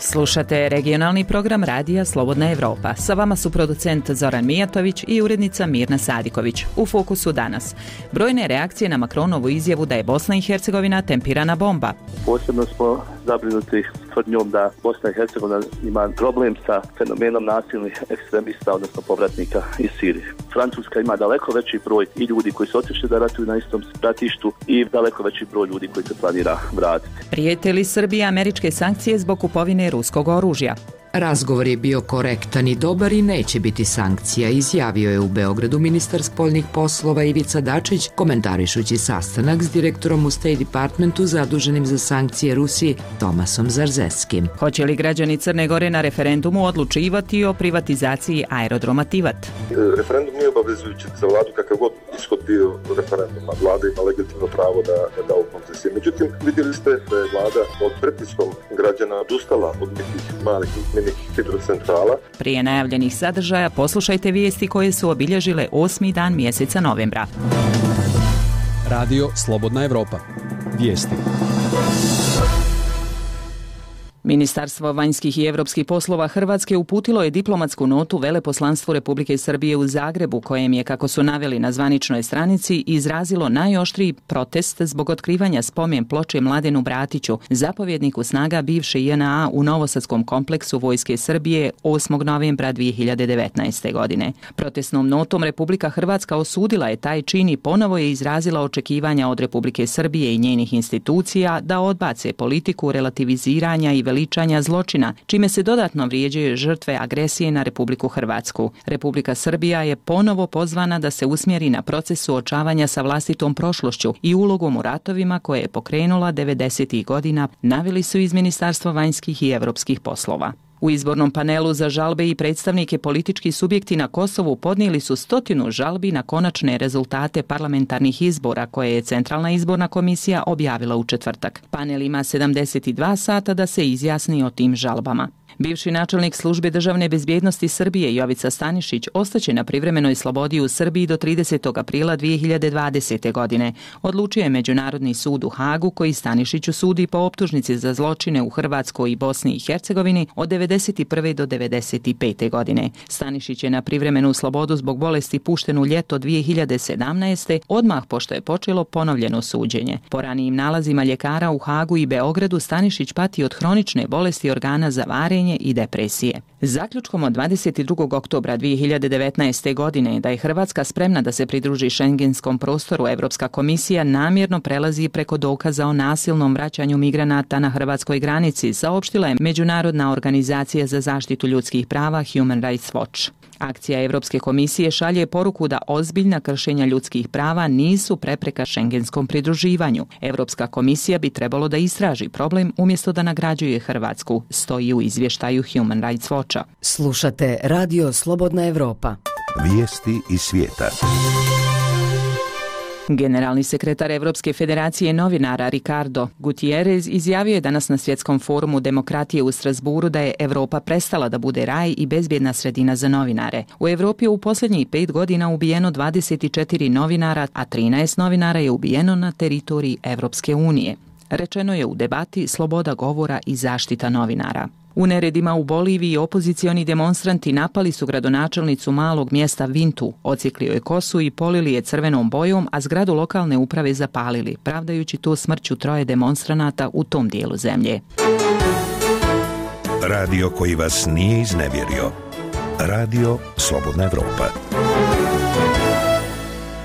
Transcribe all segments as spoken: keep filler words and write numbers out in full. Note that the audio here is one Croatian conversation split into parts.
Slušate regionalni program radija Slobodna Evropa. Sa vama su producent Zoran Mijatović i urednica Mirna Sadiković. U fokusu danas brojne reakcije na Macronovu izjavu da je Bosna i Hercegovina tempirana bomba. Posebno smo zabrinuti tvrdnjom da Bosna i Hercegovina ima problem sa fenomenom nasilnih ekstremista, odnosno povratnika iz Sirije. Francuska ima daleko veći broj i ljudi koji su otišli da ratuju na istom ratištu i daleko veći broj ljudi koji se planira vratiti. Prijete li Srbiji američke sankcije zbog kupovine ruskog oružja? Razgovor je bio korektan i dobar i neće biti sankcija, izjavio je u Beogradu ministar spoljnih poslova Ivica Dačić, komentarišući sastanak s direktorom u State Departmentu zaduženim za sankcije Rusiji Tomasom Zarzeskim. Hoće li građani Crne Gore na referendumu odlučivati o privatizaciji aerodroma Tivat? Referendum nije obavezujući za vladu kakav god ishod bio referenduma. Vlada ima legitimno pravo da, da da u koncesije. Međutim, vidjeli ste da je vlada pod pritiskom građana odustala od nekih malih hidrocentrala. Prije najavljenih sadržaja poslušajte vijesti koje su obilježile osmi dan mjeseca novembra. Radio Slobodna Evropa. Vijesti. Ministarstvo vanjskih i europskih poslova Hrvatske uputilo je diplomatsku notu Veleposlanstvu Republike Srbije u Zagrebu, kojem je, kako su naveli na zvaničnoj stranici, izrazilo najoštriji protest zbog otkrivanja spomen ploče Mladenu Bratiću, zapovjedniku snaga bivše J N A u Novosadskom kompleksu Vojske Srbije osmog novembra dvije hiljade devetnaeste. godine. Protestnom notom Republika Hrvatska osudila je taj čin i ponovo je izrazila očekivanja od Republike Srbije i njenih institucija da odbace politiku relativiziranja i veličanja zločina, čime se dodatno vrijeđaju žrtve agresije na Republiku Hrvatsku. Republika Srbija je ponovo pozvana da se usmjeri na proces suočavanja sa vlastitom prošlošću i ulogom u ratovima koje je pokrenula devedesetih godina, naveli su iz Ministarstva vanjskih i europskih poslova. U izbornom panelu za žalbe i predstavnike političkih subjekti na Kosovu podnijeli su stotinu žalbi na konačne rezultate parlamentarnih izbora koje je Centralna izborna komisija objavila u četvrtak. Panel ima sedamdeset dva sata da se izjasni o tim žalbama. Bivši načelnik službe državne bezbjednosti Srbije Jovica Stanišić ostaće na privremenoj slobodi u Srbiji do tridesetog aprila dvije hiljade dvadesete. godine. Odlučio je Međunarodni sud u Hagu koji Stanišiću sudi po optužnici za zločine u Hrvatskoj i Bosni i Hercegovini od devedeset prve do devedeset pete. godine. Stanišić je na privremenu slobodu zbog bolesti pušten u ljeto dvije hiljade sedamnaeste. odmah pošto je počelo ponovljeno suđenje. Po ranijim nalazima ljekara u Hagu i Beogradu Stanišić pati od hronične bolesti organa za varenje i depresije. Zaključkom od dvadeset drugog oktobra dvije hiljade devetnaeste. godine da je Hrvatska spremna da se pridruži šengenskom prostoru, Evropska komisija namjerno prelazi preko dokaza o nasilnom vraćanju migranata na hrvatskoj granici, saopštila je Međunarodna organizacija za zaštitu ljudskih prava Human Rights Watch. Akcija Evropske komisije šalje poruku da ozbiljna kršenja ljudskih prava nisu prepreka šengenskom pridruživanju. Evropska komisija bi trebalo da istraži problem umjesto da nagrađuje Hrvatsku, stoji u izvještaju Human Rights Watcha. Slušate Radio Slobodna Evropa. Vijesti iz svijeta. Generalni sekretar Evropske federacije novinara Ricardo Gutierrez izjavio je danas na Svjetskom forumu demokratije u Strasburu da je Europa prestala da bude raj i bezbjedna sredina za novinare. U Europi je u posljednjih pet godina ubijeno dvadeset četiri novinara, a trinaest novinara je ubijeno na teritoriji Evropske unije. Rečeno je u debati sloboda govora i zaštita novinara. U neredima u Boliviji opozicioni demonstranti napali su gradonačelnicu malog mjesta Vintu, odsjekli joj kosu i polili je crvenom bojom, a zgradu lokalne uprave zapalili, pravdajući to smrću troje demonstranata u tom dijelu zemlje. Radio koji vas nije iznevjerio. Radio Slobodna Evropa.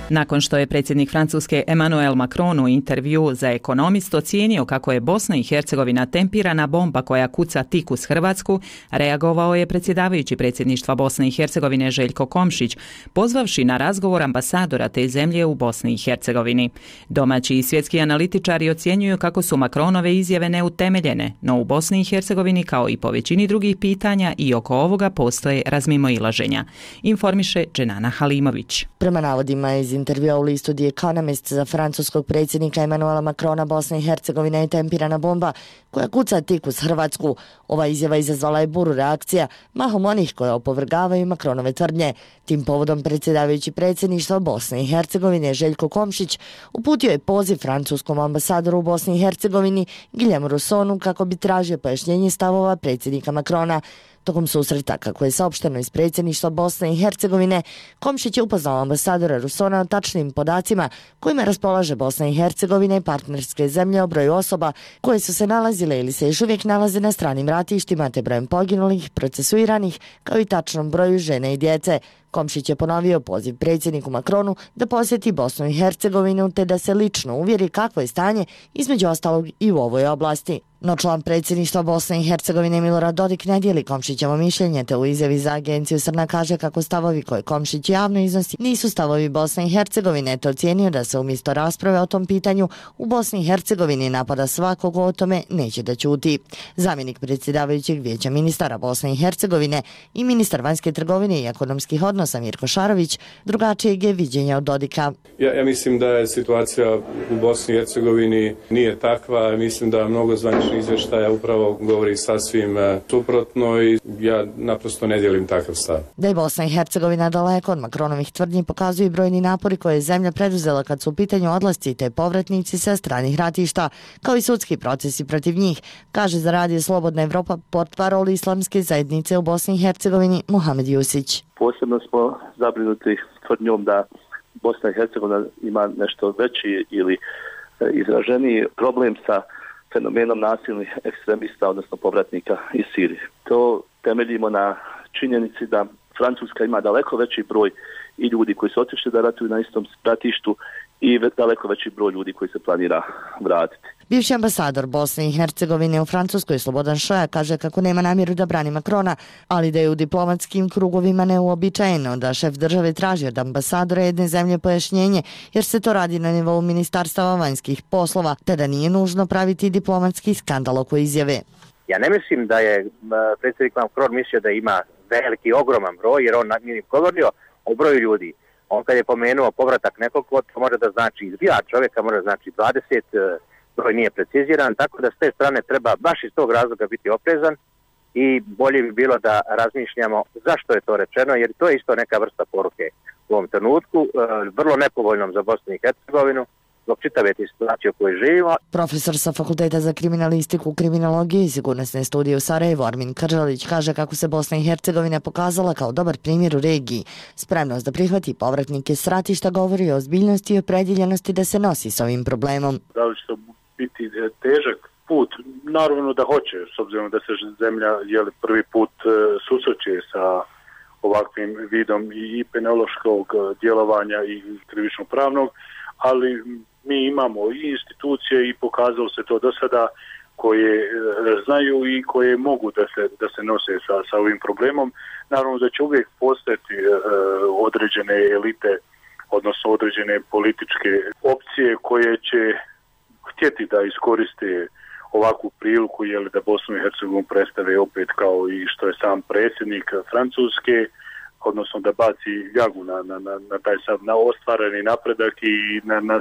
Nakon što je predsjednik Francuske Emmanuel Macron u intervju za Ekonomist ocijenio kako je Bosna i Hercegovina tempirana bomba koja kuca tik uz Hrvatsku, reagovao je predsjedavajući predsjedništva Bosne i Hercegovine Željko Komšić, pozvavši na razgovor ambasadora te zemlje u Bosni i Hercegovini. Domaći i svjetski analitičari ocjenjuju kako su Macronove izjave neutemeljene, no u Bosni i Hercegovini kao i po većini drugih pitanja i oko ovoga postoje razmimoilaženja. Informiše Dženana Halimović. Prema navodima iz intervjua u listu The Economist za francuskog predsjednika Emanuela Macrona, Bosna i Hercegovina je tempirana bomba koja kuca tik uz Hrvatsku. Ova izjava izazvala je buru reakcija, mahom onih koje opovrgavaju Macronove tvrdnje. Tim povodom predsjedavajući predsjedništva Bosne i Hercegovine Željko Komšić uputio je poziv francuskom ambasadoru u Bosni i Hercegovini Guillaume Russonu kako bi tražio pojašnjenje stavova predsjednika Macrona. Tokom susreta, kako je saopšteno iz predsjedništva Bosne i Hercegovine, Komšić je upoznao ambasadora Russona o tačnim podacima kojima raspolaže Bosna i Hercegovina i partnerske zemlje o broju osoba koje su se nalazile ili se još uvijek nalaze na stranim ratištima, te brojem poginulih, procesuiranih, kao i tačnom broju žene i djece. Komšić je ponovio poziv predsjedniku Macronu da posjeti Bosnu i Hercegovinu te da se lično uvjeri kakvo je stanje, između ostalog i u ovoj oblasti. No član predsjedništva Bosne i Hercegovine Milorad Dodik ne dijeli Komšićevo mišljenje, te u izjavi za agenciju Srna kaže kako stavovi koje Komšić javno iznosi nisu stavovi Bosne i Hercegovine, te ocijenio da se umjesto rasprave o tom pitanju u Bosni i Hercegovini napada svakog o tome neće da ćuti. Zamjenik predsjedavajućeg vijeća ministara Bosne i Hercegovine i ministar vanjske trgovine i ekonomskih odnosa Mirko Šarović drugačijeg je viđenja od Dodika. Ja, ja mislim da je situacija u Bosni i Hercegovini nije takva, mislim da mnogo zvaničnih izvještaja upravo govori sasvim suprotno i ja naprosto ne dijelim takav stav. Da je Bosna i Hercegovina daleko od Macronovih tvrdnji pokazuju brojni napori koje je zemlja preduzela kad su u pitanju odlasci te povratnici sa stranih ratišta, kao i sudski procesi protiv njih, kaže za Radio Slobodna Evropa portparol islamske zajednice u Bosni i Hercegovini Muhamed Jusić. Posebno smo zabrinuti tvrdnjom da Bosna i Hercegovina ima nešto veći ili izraženiji problem sa fenomenom nasilnih ekstremista, odnosno povratnika iz Sirije. To temeljimo na činjenici da Francuska ima daleko veći broj i ljudi koji su otišli da ratuju na istom ratištu i daleko veći broj ljudi koji se planira vratiti. Bivši ambasador Bosne i Hercegovine u Francuskoj Slobodan Šoja kaže kako nema namjeru da brani Macrona, ali da je u diplomatskim krugovima neuobičajeno da šef države traži od ambasadora jedne zemlje pojašnjenje, jer se to radi na nivou ministarstava vanjskih poslova, te da nije nužno praviti diplomatski skandal oko izjave. Ja ne mislim da je predsjednik Macron mislio da ima veliki, ogroman broj, jer on nije govorio o broju ljudi. On kad je pomenuo povratak nekog, to može da znači dva čovjeka, može da znači dvadeset, broj nije preciziran, tako da s te strane treba baš iz tog razloga biti oprezan i bolje bi bilo da razmišljamo zašto je to rečeno, jer to je isto neka vrsta poruke u ovom trenutku, vrlo nepovoljnom za Bosnu i Hercegovinu, zbog čitave te situacije u kojoj živimo. Profesor sa Fakulteta za kriminalistiku, kriminologiju i sigurnosne studije u Sarajevu Armin Kržalić kaže kako se Bosna i Hercegovina pokazala kao dobar primjer u regiji. Spremnost da prihvati povratnike s ratišta govori o ozbiljnosti i opredjeljenosti da se nosi s ovim problemom. Da li će to biti težak put? Naravno da hoće, s obzirom da se zemlja jeli, prvi put susreće sa ovakvim vidom i penološkog djelovanja i krivično pravnog, ali mi imamo i institucije i pokazalo se to do sada koje znaju i koje mogu da se, da se nose sa, sa ovim problemom. Naravno da će uvijek postojati e, određene elite, odnosno određene političke opcije koje će htjeti da iskoriste ovakvu priliku, jeli, da Bosnu i Hercegovinu predstave opet kao i što je sam predsjednik Francuske, odnosno da baci ljagu na, na, na, na taj sav na ostvareni napredak i na, na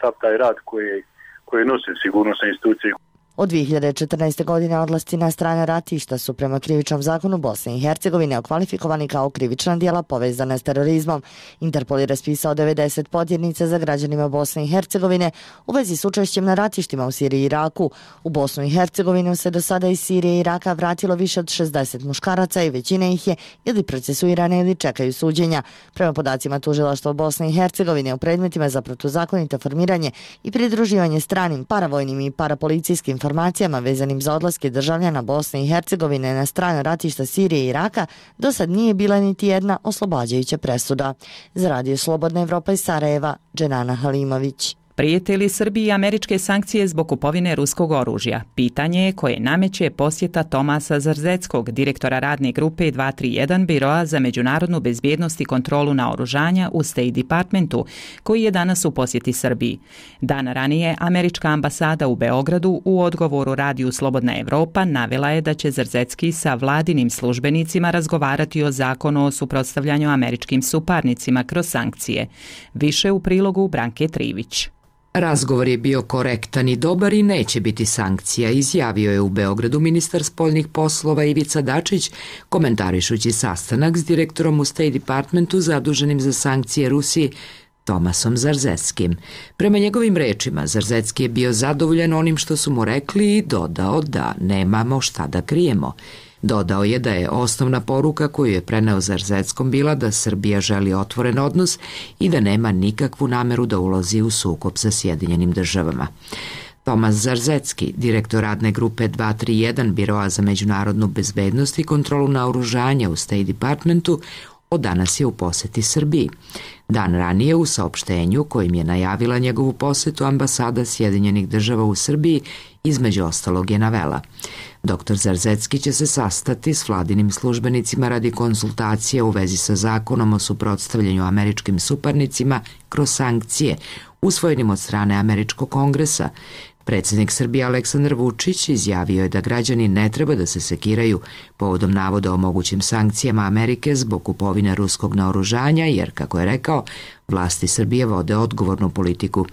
sav taj rad koje, koje nose sigurnosne institucije. Od dvije hiljade četrnaeste. godine odlasci na strane ratišta su prema krivičnom zakonu Bosne i Hercegovine okvalifikovani kao krivična djela povezana s terorizmom. Interpol je raspisao devedeset potjernica za građanima Bosne i Hercegovine u vezi s učešćem na ratištima u Siriji i Iraku. U Bosnu i Hercegovinu se do sada iz Sirije i Iraka vratilo više od šezdeset muškaraca i većina ih je ili procesuirane ili čekaju suđenja. Prema podacima tužilaštva Bosne i Hercegovine u predmetima za protuzakonito formiranje i pridruživanje stranim paravojnim i parapolicijskim informacijama vezanim za odlaske državljana Bosne i Hercegovine na strane ratišta Sirije i Iraka do sad nije bila niti jedna oslobađajuća presuda. Za Radio Slobodna Evropa iz Sarajeva, Dženana Halimović. Prijete li Srbiji američke sankcije zbog kupovine ruskog oružja? Pitanje je koje nameće posjeta Tomasa Zarzeckog, direktora radne grupe dva tri jedan Biroa za međunarodnu bezbjednost i kontrolu naoružanja u State Departmentu, koji je danas u posjeti Srbiji. Dan ranije, američka ambasada u Beogradu u odgovoru radiju Slobodna Evropa navela je da će Zarzecki sa vladinim službenicima razgovarati o zakonu o suprotstavljanju američkim suparnicima kroz sankcije. Više u prilogu Branke Trivić. Razgovor je bio korektan i dobar i neće biti sankcija, izjavio je u Beogradu ministar spoljnih poslova Ivica Dačić, komentarišući sastanak s direktorom u State Departmentu zaduženim za sankcije Rusiji, Tomasom Zarzeckim. Prema njegovim rečima, Zarzecki je bio zadovoljan onim što su mu rekli i dodao da nemamo šta da krijemo. Dodao je da je osnovna poruka koju je preneo Zarzeckom bila da Srbija želi otvoren odnos i da nema nikakvu nameru da ulazi u sukob sa Sjedinjenim državama. Tomas Zarzecki, direktor radne grupe dva tri jedan Biroa za međunarodnu bezbednost i kontrolu naoružanja u State Departmentu, od danas je u poseti Srbiji. Dan ranije u saopštenju kojim je najavila njegovu posetu ambasada Sjedinjenih država u Srbiji, između ostalog je navela: doktor Zarzecki će se sastati s vladinim službenicima radi konsultacije u vezi sa zakonom o suprotstavljanju američkim suparnicima kroz sankcije, usvojenim od strane Američkog kongresa. Predsjednik Srbije Aleksandar Vučić izjavio je da građani ne treba da se sekiraju povodom navoda o mogućim sankcijama Amerike zbog kupovine ruskog naoružanja, jer, kako je rekao, vlasti Srbije vode odgovornu politiku.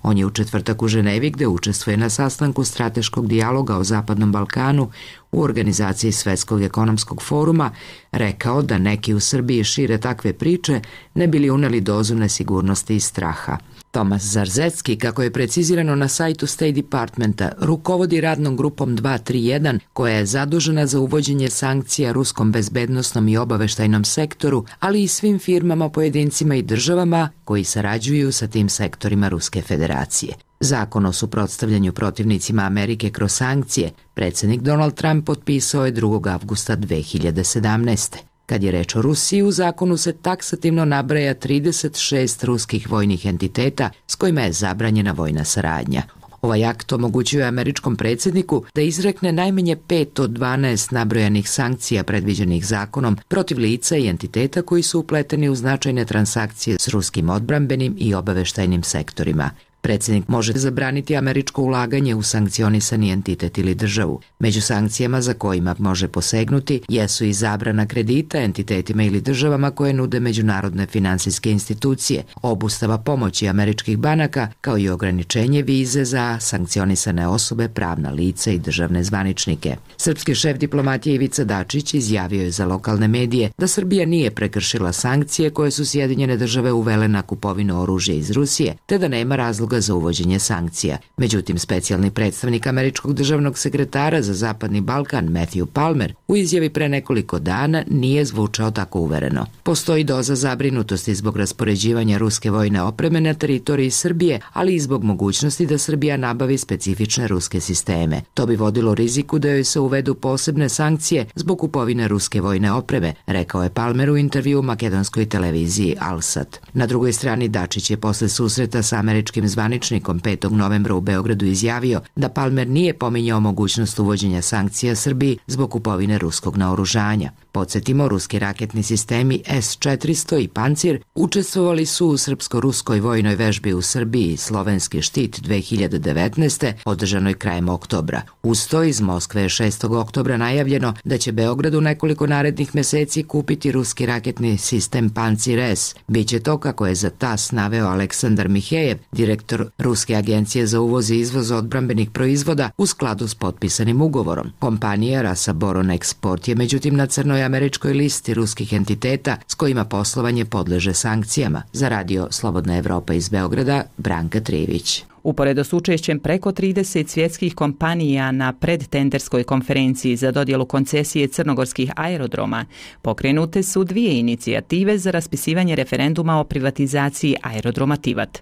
On je u četvrtak u Ženevi, gde učestvuje na sastanku strateškog dijaloga o Zapadnom Balkanu u organizaciji Svetskog ekonomskog foruma, rekao da neki u Srbiji šire takve priče ne bili uneli dozu nesigurnosti i straha. Tomas Zarzecki, kako je precizirano na sajtu State Departmenta, rukovodi radnom grupom dva tri jedan koja je zadužena za uvođenje sankcija ruskom bezbednosnom i obaveštajnom sektoru, ali i svim firmama, pojedincima i državama koji sarađuju sa tim sektorima Ruske federacije. Zakon o suprotstavljanju protivnicima Amerike kroz sankcije predsjednik Donald Trump potpisao je drugog avgusta dve hiljade sedamnaeste. Kad je reč o Rusiji, u zakonu se taksativno nabraja trideset šest ruskih vojnih entiteta s kojima je zabranjena vojna saradnja. Ovaj akt omogućuje američkom predsjedniku da izrekne najmanje pet od dvanaest nabrojanih sankcija predviđenih zakonom protiv lica i entiteta koji su upleteni u značajne transakcije s ruskim odbrambenim i obaveštajnim sektorima. Predsjednik može zabraniti američko ulaganje u sankcionisani entitet ili državu. Među sankcijama za kojima može posegnuti jesu i zabrana kredita entitetima ili državama koje nude međunarodne finansijske institucije, obustava pomoći američkih banaka, kao i ograničenje vize za sankcionisane osobe, pravna lica i državne zvaničnike. Srpski šef diplomatije Ivica Dačić izjavio je za lokalne medije da Srbija nije prekršila sankcije koje su Sjedinjene države uvele na kupovinu oružja iz Rusije, te da nema razloga za uvođenje sankcija. Međutim, specijalni predstavnik američkog državnog sekretara za Zapadni Balkan Matthew Palmer u izjavi pre nekoliko dana nije zvučao tako uvereno. Postoji doza zabrinutosti zbog raspoređivanja ruske vojne opreme na teritoriji Srbije, ali i zbog mogućnosti da Srbija nabavi specifične ruske sisteme. To bi vodilo riziku da joj se uvedu posebne sankcije zbog kupovine ruske vojne opreme, rekao je Palmer u intervju makedonskoj televiziji Alsat. Na drugoj strani Dačić je posle susreta sa američkim zvaničnikom petog novembra u Beogradu izjavio da Palmer nije pominjao mogućnost uvođenja sankcija Srbiji zbog kupovine ruskog naoružanja. Podsjetimo, ruski raketni sistemi S četiristo i Pancir učestvovali su u srpsko-ruskoj vojnoj vežbi u Srbiji Slovenski štit dve hiljade devetnaeste. održanoj krajem oktobra. Uz to iz Moskve je šestog oktobra najavljeno da će Beograd u nekoliko narednih meseci kupiti ruski raketni sistem Pancir S. Biće to, kako je za TAS naveo Aleksandar Mihejev, direktor Ruske agencije za uvoz i izvoz odbrambenih proizvoda, u skladu s potpisanim ugovorom. Kompanija Rasaboron Export je međutim na crnoj američkoj listi ruskih entiteta s kojima poslovanje podleže sankcijama. Za radio Slobodna Evropa iz Beograda, Branka Trivić. Uporedo s učešćem preko trideset svjetskih kompanija na predtenderskoj konferenciji za dodjelu koncesije crnogorskih aerodroma, pokrenute su dvije inicijative za raspisivanje referenduma o privatizaciji aerodroma Tivat.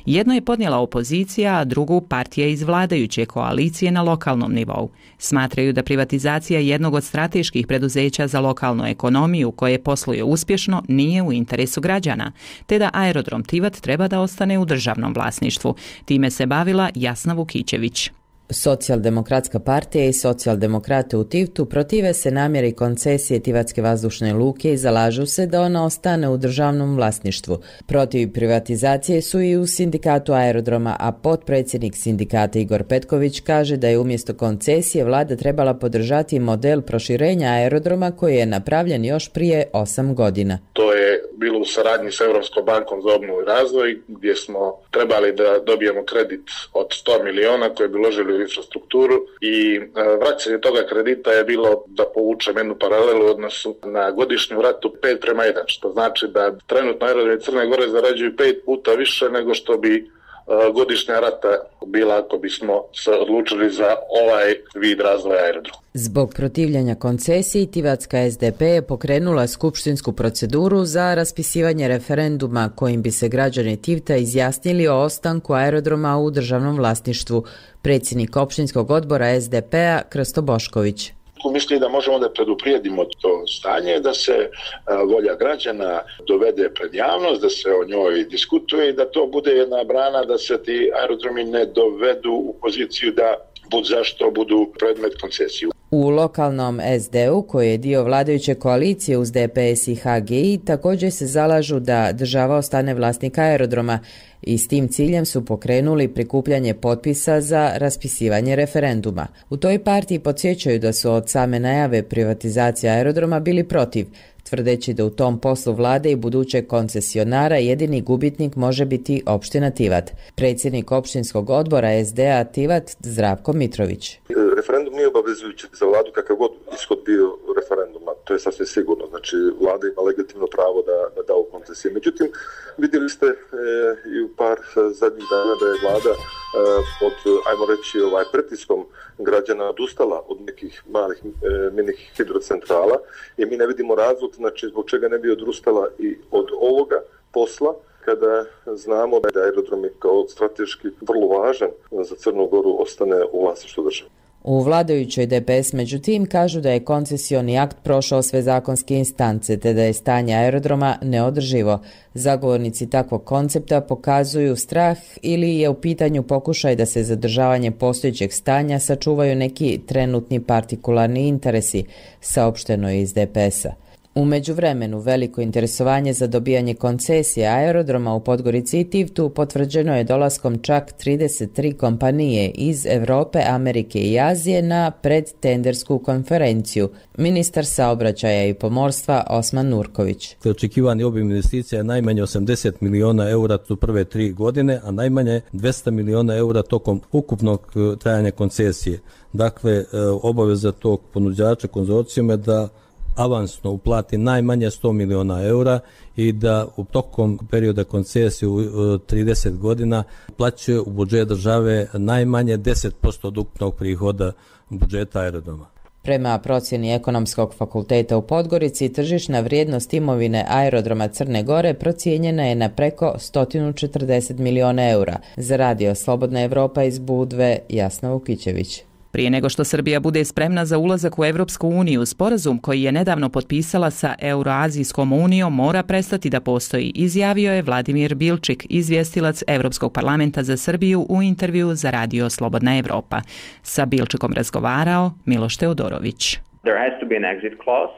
Jedno je podnijela opozicija, a drugu partija iz vladajuće koalicije na lokalnom nivou. Smatraju da privatizacija jednog od strateških preduzeća za lokalnu ekonomiju koje posluje uspješno nije u interesu građana, te da aerodrom Tivat treba da ostane u državnom vlasništvu. Time se bavila Jasna Vukićević. Socijaldemokratska partija i socijaldemokrate u Tivtu protive se namjeri koncesije Tivatske vazdušne luke i zalažu se da ona ostane u državnom vlasništvu. Protiv privatizacije su i u sindikatu aerodroma, a potpredsjednik sindikata Igor Petković kaže da je umjesto koncesije vlada trebala podržati model proširenja aerodroma koji je napravljen još prije osam godina. To je bilo u saradnji s Europskom bankom za obnovu i razvoj, gdje smo trebali da dobijemo kredit od sto miliona koje bi uložili u infrastrukturu i vraćanje toga kredita je bilo, da povučem jednu paralelu u odnosu na godišnju ratu, pet prema jedan, što znači da trenutno aerodromi Crne Gore zarađuju pet puta više nego što bi godišnja rata bila ako bismo se odlučili za ovaj vid razvoja aerodroma. Zbog protivljenja koncesiji, Tivatska es de pe je pokrenula skupštinsku proceduru za raspisivanje referenduma kojim bi se građani Tivta izjasnili o ostanku aerodroma u državnom vlasništvu. Predsjednik opštinskog odbora es de pe-a Krsto Bošković. Misli da možemo da preduprijedimo to stanje, da se volja građana dovede pred javnost, da se o njoj diskutuje i da to bude jedna brana da se ti aerodromi ne dovedu u poziciju da bud zašto budu predmet koncesiju. U lokalnom es de u, koji je dio vladajuće koalicije uz de pe es i ha ge i, također se zalažu da država ostane vlasnik aerodroma i s tim ciljem su pokrenuli prikupljanje potpisa za raspisivanje referenduma. U toj partiji podsjećaju da su od same najave privatizacije aerodroma bili protiv, tvrdeći da u tom poslu vlade i budućeg koncesionara jedini gubitnik može biti opština Tivat. Predsjednik opštinskog odbora es de a Tivat Zdravko Mitrović. Referendum nije obavezujući za vladu kakav god ishod bio referenduma, to je sasvim sigurno. Znači, vlada ima legitimno pravo da, da da u koncesije. Međutim, vidjeli ste e, i u par zadnjih dana da je vlada e, pod, ajmo reći, ovaj pritiskom građana odustala od nekih malih e, mini hidrocentrala i mi ne vidimo razlog, znači zbog čega ne bi odustala i od ovoga posla, kada znamo da je aerodrom kao strateški vrlo važan za Crnu Goru ostane u vlasništvu države. U vladajućoj de pe es međutim kažu da je koncesioni akt prošao sve zakonske instance te da je stanje aerodroma neodrživo. Zagovornici takvog koncepta pokazuju strah ili je u pitanju pokušaj da se zadržavanje postojećeg stanja sačuvaju neki trenutni partikularni interesi, saopšteno je iz de pe es-a. U međuvremenu veliko interesovanje za dobijanje koncesije aerodroma u Podgorici i Tivtu potvrđeno je dolaskom čak trideset tri kompanije iz Europe, Amerike i Azije na predtendersku konferenciju. Ministar saobraćaja i pomorstva Osman Nurković. Očekivani obim investicija je najmanje osamdeset miliona eura u prve tri godine, a najmanje dvesta miliona eura tokom ukupnog trajanja koncesije. Dakle, obaveza tog ponuđača konzorcijuma je da avansno uplati najmanje sto miliona eura i da u tokom perioda koncesije u trideset godina plaćaju u budžet države najmanje deset posto od ukupnog prihoda budžeta aerodroma. Prema procjeni Ekonomskog fakulteta u Podgorici, tržišna vrijednost imovine aerodroma Crne Gore procijenjena je na preko sto četrdeset miliona eura. Za radio Slobodna Evropa iz Budve, Jasna Vukićević. Prije nego što Srbija bude spremna za ulazak u Evropsku uniju, sporazum koji je nedavno potpisala sa Euroazijskom unijom mora prestati da postoji, izjavio je Vladimir Bilčik, izvjestilac Evropskog parlamenta za Srbiju u intervju za radio Slobodna Evropa. Sa Bilčikom razgovarao Miloš Teodorović. There has to be an exit clause.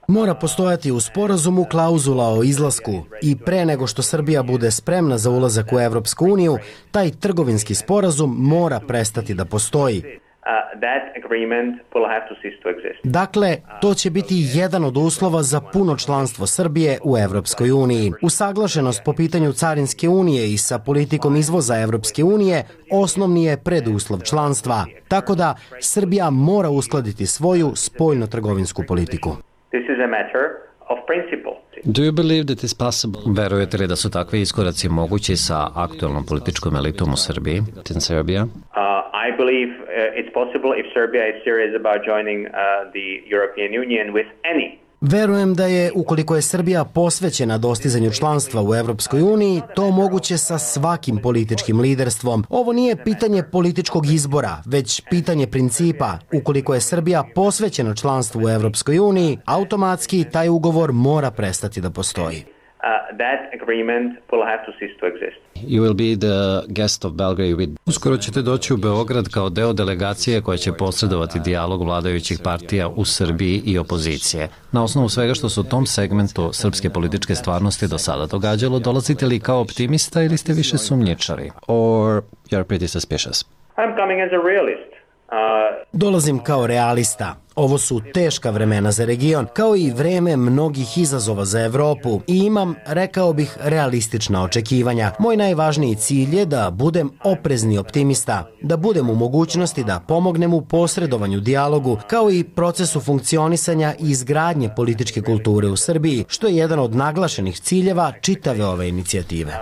Mora postojati u sporazumu klauzula o izlasku i pre nego što Srbija bude spremna za ulazak u Evropsku uniju, taj trgovinski sporazum mora prestati da postoji. Dakle, to će biti jedan od uslova za puno članstvo Srbije u Evropskoj uniji. Usaglašenost po pitanju Carinske unije i sa politikom izvoza Evropske unije osnovni je preduslov članstva. Tako da Srbija mora uskladiti svoju spoljno-trgovinsku politiku. This is a matter of principle. Do you believe that is possible? Verujete li da su takvi iskoraci mogući sa aktualnom političkom elitom u Srbiji, in Serbia? Uh, I believe uh, it's possible if Serbia is serious about joining uh, the European Union with any. Verujem da je, ukoliko je Srbija posvećena dostizanju članstva u Evropskoj uniji, to moguće sa svakim političkim liderstvom. Ovo nije pitanje političkog izbora, već pitanje principa. Ukoliko je Srbija posvećena članstvu u Evropskoj uniji, automatski taj ugovor mora prestati da postoji. Uh, that agreement will have to cease to exist. You will be the guest of Belgrade with... Uskoro ćete doći u Beograd kao deo delegacije koja će posredovati dijalog vladajućih partija u Srbiji i opozicije. Na osnovu svega što se u tom segmentu srpske političke stvarnosti do sada događalo, dolazite li kao optimista ili ste više sumnjičari? Or you're pretty suspicious? I'm coming as a realist. Uh... Dolazim kao realista. Ovo su teška vremena za region, kao i vreme mnogih izazova za Evropu i imam, rekao bih, realistična očekivanja. Moj najvažniji cilj je da budem oprezni optimista, da budem u mogućnosti da pomognem u posredovanju dijalogu, kao i procesu funkcionisanja i izgradnje političke kulture u Srbiji, što je jedan od naglašenih ciljeva čitave ove inicijative.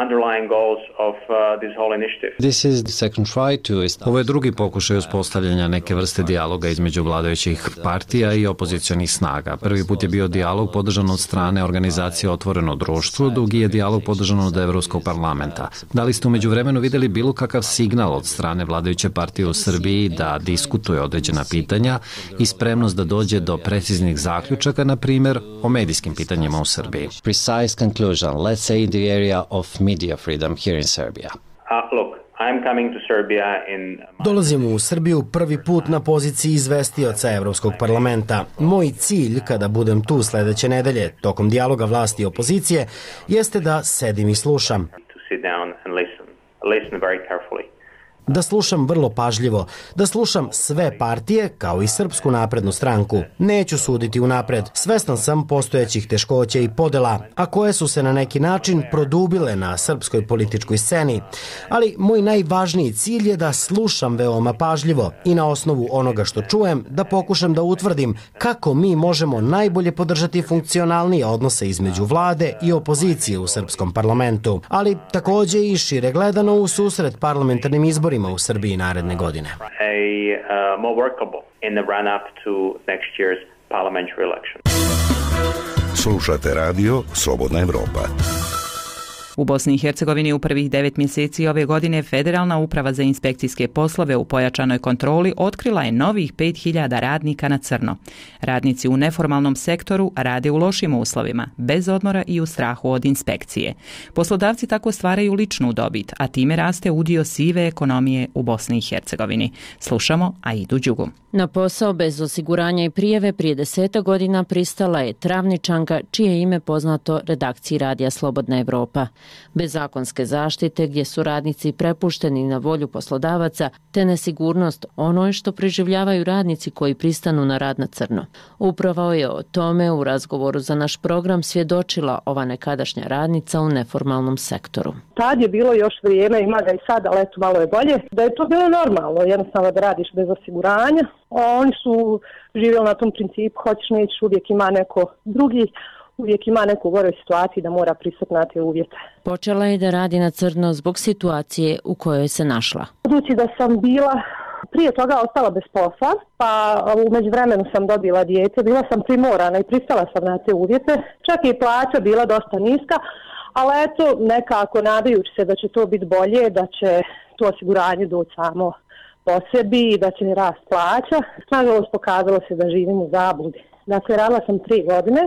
Underlying goals of uh, this whole initiative. This is the second try to... Ovo je drugi pokušaj uspostavljanja neke vrste dijaloga između vladajućih partija i opozicionih snaga. Prvi put je bio dijalog podržan od strane organizacije Otvoreno društvo, drugi je dijalog podržan od Evropskog parlamenta. Da li ste umeđu vremenu videli bilo kakav signal od strane vladajuće partije u Srbiji da diskutuje određena pitanja i spremnost da dođe do preciznih zaključaka, na primjer, o medijskim pitanjima u Srbiji? Precise conclusion, let's say in the area of media freedom here in Serbia. Uh, look, I'm coming to Serbia in... Dolazim u Srbiju prvi put na poziciji izvestioca Evropskog parlamenta. Moj cilj, kada budem tu sledeće nedelje, tokom dijaloga vlasti i opozicije, jeste da sedim i slušam. To sit down and listen. Listen very carefully. Da slušam vrlo pažljivo, da slušam sve partije, kao i Srpsku naprednu stranku. Neću suditi unapred, svestan sam postojećih teškoća i podela, a koje su se na neki način produbile na srpskoj političkoj sceni. Ali moj najvažniji cilj je da slušam veoma pažljivo i na osnovu onoga što čujem da pokušam da utvrdim kako mi možemo najbolje podržati funkcionalnije odnose između vlade i opozicije u srpskom parlamentu, ali takođe i šire gledano u susret parlamentarnim izborima u Srbiji naredne godine. A uh, more workable in the run up to next year's parliamentary election. Slušate radio Slobodna Evropa. U Bosni i Hercegovini u prvih devet mjeseci ove godine Federalna uprava za inspekcijske poslove u pojačanoj kontroli otkrila je novih pet hiljada radnika na crno. Radnici u neformalnom sektoru rade u lošim uslovima, bez odmora i u strahu od inspekcije. Poslodavci tako stvaraju ličnu dobit, a time raste udio sive ekonomije u Bosni i Hercegovini. Slušamo Aidu Đugu. Na posao bez osiguranja i prijave prije deseta godina pristala je Travničanka, čije ime poznato redakciji radija Slobodna Evropa. Bez zakonske zaštite, gdje su radnici prepušteni na volju poslodavaca, te nesigurnost, ono je što preživljavaju radnici koji pristanu na rad na crno. Upravo je o tome u razgovoru za naš program svjedočila ova nekadašnja radnica u neformalnom sektoru. Tad je bilo još vrijeme, ima ga i sad, ali eto malo je bolje, da je to bilo normalno, jednostavno da radiš bez osiguranja. Oni su živjeli na tom principu, hoćeš nećeš, uvijek ima neko drugi, uvijek ima neku goroj situaciji da mora pristati na te uvjete. Počela je da radi na crno zbog situacije u kojoj se našla. Budući da sam bila prije toga ostala bez posla, pa u međuvremenu sam dobila dijete, bila sam primorana i pristala sam na te uvjete, čak i plaća bila dosta niska, ali eto nekako nadajući se da će to biti bolje, da će to osiguranje doći samo po sebi i da će rast plaća. Nažalost pokazalo se da živim u zabludi. Dakle, radila sam tri godine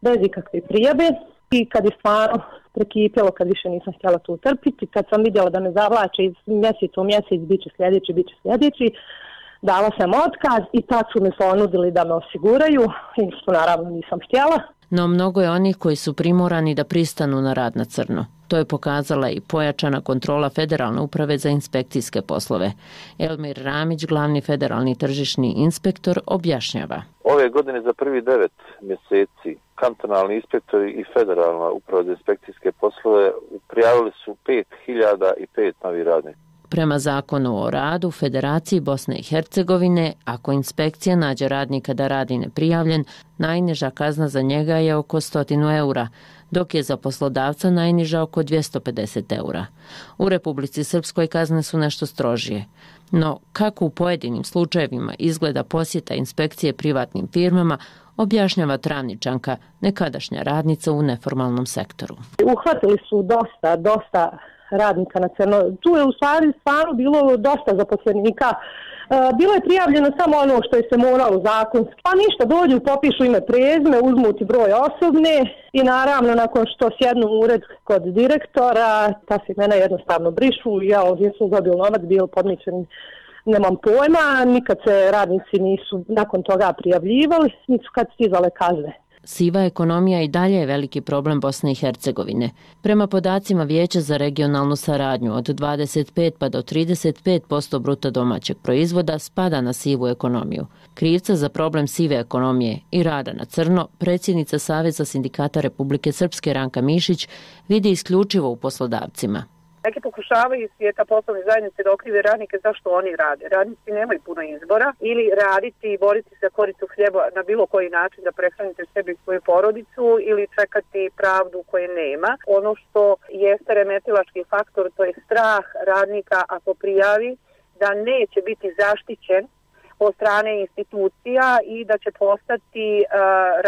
bez ikakve prijave i kad je stvarno prekipjelo, kad više nisam htjela to utrpiti, kad sam vidjela da me zavlače iz mjeseca u mjesec, bit će sljedeći, bit će sljedeći, dala sam otkaz i tad su me ponudili da me osiguraju i što naravno nisam htjela. No mnogo je onih koji su primorani da pristanu na rad na crno. To je pokazala i pojačana kontrola Federalne uprave za inspekcijske poslove. Elmir Ramić, glavni federalni tržišni inspektor, objašnjava. Ove godine za prvi devet mjeseci kantonalni inspektori i Federalna uprava za inspekcijske poslove prijavili su pet hiljada pet novih radnika. Prema zakonu o radu Federaciji Bosne i Hercegovine, ako inspekcija nađe radnika da radi neprijavljen, najniža kazna za njega je oko sto eura, dok je za poslodavca najniža oko dvjesto pedeset eura. U Republici Srpskoj kazne su nešto strožije. No, kako u pojedinim slučajevima izgleda posjeta inspekcije privatnim firmama, objašnjava Travničanka, nekadašnja radnica u neformalnom sektoru. Uhvatili su dosta, dosta radnika na crno. Tu je u stvari stvarno bilo dosta zaposlenika. Bilo je prijavljeno samo ono što je se moralo zakonski. Pa ništa, dođu, popišu ime prezime, uzmu ti broj osobne i naravno nakon što sjednu u ured kod direktora, ta se imena jednostavno brišu. Ja ovdje sam dobio novac, bio podmićen, nemam pojma, nikad se radnici nisu nakon toga prijavljivali, nisu kad stizale kazne. Siva ekonomija i dalje je veliki problem Bosne i Hercegovine. Prema podacima Vijeća za regionalnu saradnju, od dvadeset pet pa do trideset pet posto bruto domaćeg proizvoda spada na sivu ekonomiju. Krivca za problem sive ekonomije i rada na crno, predsjednica Saveza sindikata Republike Srpske Ranka Mišić vidi isključivo u poslodavcima. Neki pokušavaju iz svijeta poslovne zajednice da okrive radnike zašto oni rade. Radnici nemaju puno izbora ili raditi i boriti se za koricu hljeba na bilo koji način da prehranite sebi i svoju porodicu ili čekati pravdu koje nema. Ono što jeste remetilački faktor, to je strah radnika ako prijavi da neće biti zaštićen od strane institucija i da će postati uh,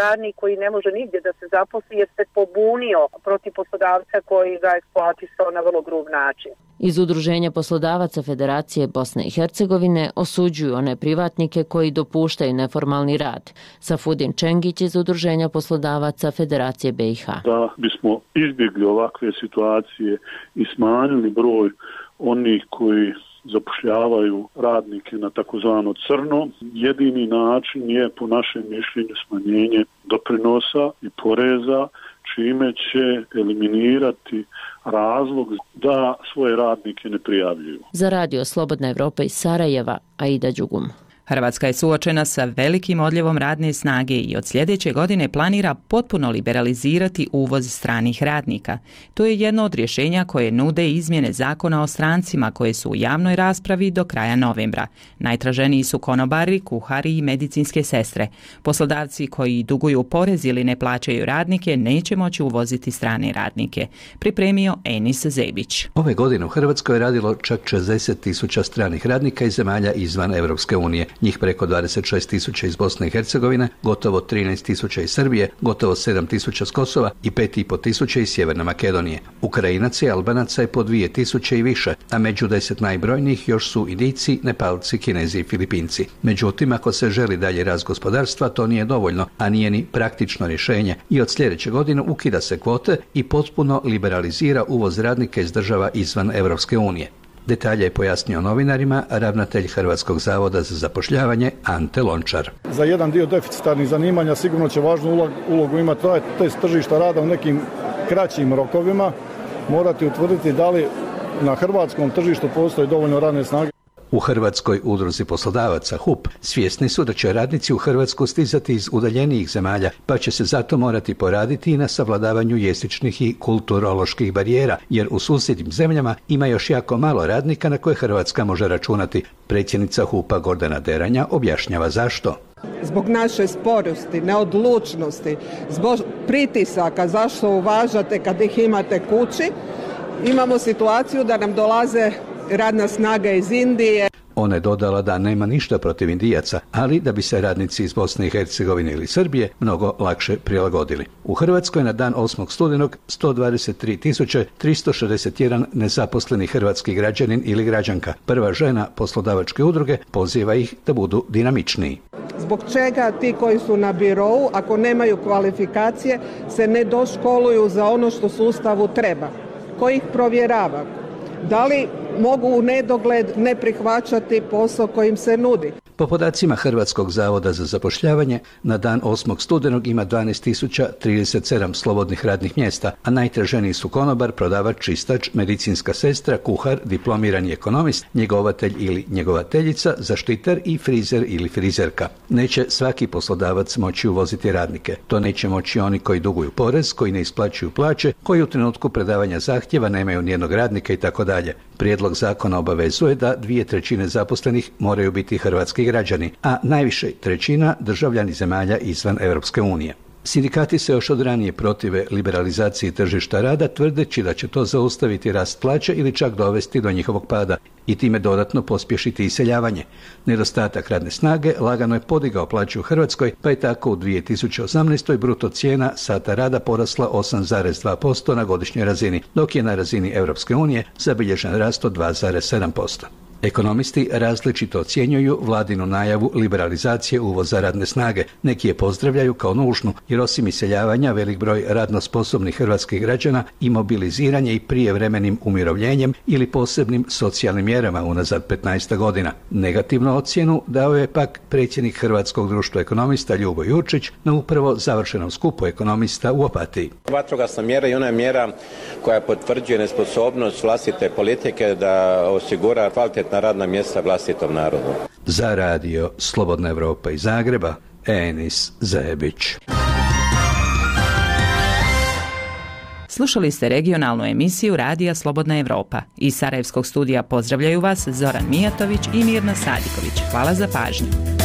radnik koji ne može nigdje da se zaposli jer se pobunio protiv poslodavca koji ga eksploatisao na vrlo grub način. Iz Udruženja poslodavaca Federacije Bosne i Hercegovine osuđuju one privatnike koji dopuštaju neformalni rad. Safudin Čengić iz Udruženja poslodavaca Federacije B i H. Da bismo izbjegli ovakve situacije i smanjili broj onih koji zapošljavaju radnike na takozvano crno, jedini način je po našem mišljenju smanjenje doprinosa i poreza, čime će eliminirati razlog da svoje radnike ne prijavljuju. Za Radio Slobodna Evropa iz Sarajeva, Aida Đugum. Hrvatska je suočena sa velikim odljevom radne snage i od sljedeće godine planira potpuno liberalizirati uvoz stranih radnika. To je jedno od rješenja koje nude izmjene zakona o strancima koje su u javnoj raspravi do kraja novembra. Najtraženiji su konobari, kuhari i medicinske sestre. Poslodavci koji duguju porez ili ne plaćaju radnike neće moći uvoziti strane radnike. Pripremio Enis Zebić. Ove godine u Hrvatskoj je radilo čak šezdeset tisuća stranih radnika iz zemalja izvan Europske unije. Njih preko dvadeset šest tisuća iz Bosne i Hercegovine, gotovo trinaest tisuća iz Srbije, gotovo sedam tisuća s Kosova i pet i pol tisuća iz Sjeverne Makedonije. Ukrajinaca i Albanaca je po dvije tisuće i više, a među deset najbrojnijih još su Indijci, Nepalci, Kinezi i Filipinci. Međutim, ako se želi dalje rast gospodarstva, to nije dovoljno, a nije ni praktično rješenje i od sljedeće godine ukida se kvote i potpuno liberalizira uvoz radnika iz država izvan Europske unije. Detalje je pojasnio novinarima ravnatelj Hrvatskog zavoda za zapošljavanje Ante Lončar. Za jedan dio deficitarnih zanimanja sigurno će važnu ulogu imati test tržišta rada u nekim kraćim rokovima. Morati utvrditi da li na hrvatskom tržištu postoji dovoljno radne snage. U Hrvatskoj udruzi poslodavaca H U P svjesni su da će radnici u Hrvatsku stizati iz udaljenijih zemalja, pa će se zato morati poraditi i na savladavanju jezičnih i kulturoloških barijera, jer u susjednim zemljama ima još jako malo radnika na koje Hrvatska može računati. Predsjednica H U P-a Gordana Deranja objašnjava zašto. Zbog naše sporosti, neodlučnosti, zbog pritisaka zašto uvažate kad ih imate kući, imamo situaciju da nam dolaze radna snaga iz Indije. Ona je dodala da nema ništa protiv Indijaca, ali da bi se radnici iz Bosne i Hercegovine ili Srbije mnogo lakše prilagodili. U Hrvatskoj na dan osmog studenog sto dvadeset tri tisuće tristo šezdeset jedan nezaposleni hrvatski građanin ili građanka. Prva žena poslodavačke udruge poziva ih da budu dinamičniji. Zbog čega ti koji su na birou, ako nemaju kvalifikacije, se ne doškoluju za ono što sustavu treba? Ko ih provjerava? Da li mogu u nedogled ne prihvaćati posao kojim se nudi? Po podacima Hrvatskog zavoda za zapošljavanje, na dan osmog studenog ima dvanaest tisuća trideset sedam slobodnih radnih mjesta, a najtraženiji su konobar, prodavač, čistač, medicinska sestra, kuhar, diplomirani ekonomist, njegovatelj ili njegovateljica, zaštitar i frizer ili frizerka. Neće svaki poslodavac moći uvoziti radnike. To neće moći oni koji duguju porez, koji ne isplaćuju plaće, koji u trenutku predavanja zahtjeva nemaju nijednog radnika i tako dalje. Prijedlog zakona obavezuje da dvije trećine zaposlenih moraju biti hrvatski građani, a najviše trećina državljani zemalja izvan Europske unije. Sindikati se još od ranije protive liberalizaciji tržišta rada, tvrdeći da će to zaustaviti rast plaća ili čak dovesti do njihovog pada i time dodatno pospješiti iseljavanje. Nedostatak radne snage lagano je podigao plaću u Hrvatskoj, pa je tako u dvije tisuće osamnaestoj bruto cijena sata rada porasla osam zarez dva posto na godišnjoj razini, dok je na razini Europske unije zabilježen rast od dva zarez sedam posto. Ekonomisti različito ocjenjuju vladinu najavu liberalizacije uvoza radne snage. Neki je pozdravljaju kao nužnu, jer osim iseljavanja velik broj radno sposobnih hrvatskih građana i mobiliziranje i prijevremenim umirovljenjem ili posebnim socijalnim mjerama unazad petnaest godina. Negativnu ocjenu dao je pak predsjednik Hrvatskog društva ekonomista Ljubo Jurčić na upravo završenom skupu ekonomista u Opatiji. Vatrogasna mjera i ona je mjera koja potvrđuje nesposobnost vlastite politike da osigura kvalitetna radna mjesta vlastitom narodu. Za radio Slobodna Evropa iz Zagreba, Enis Zajebić. Slušali ste regionalnu emisiju Radija Slobodna Evropa. Iz Sarajevskog studija pozdravljaju vas Zoran Mijatović i Mirna Sadiković. Hvala za pažnju.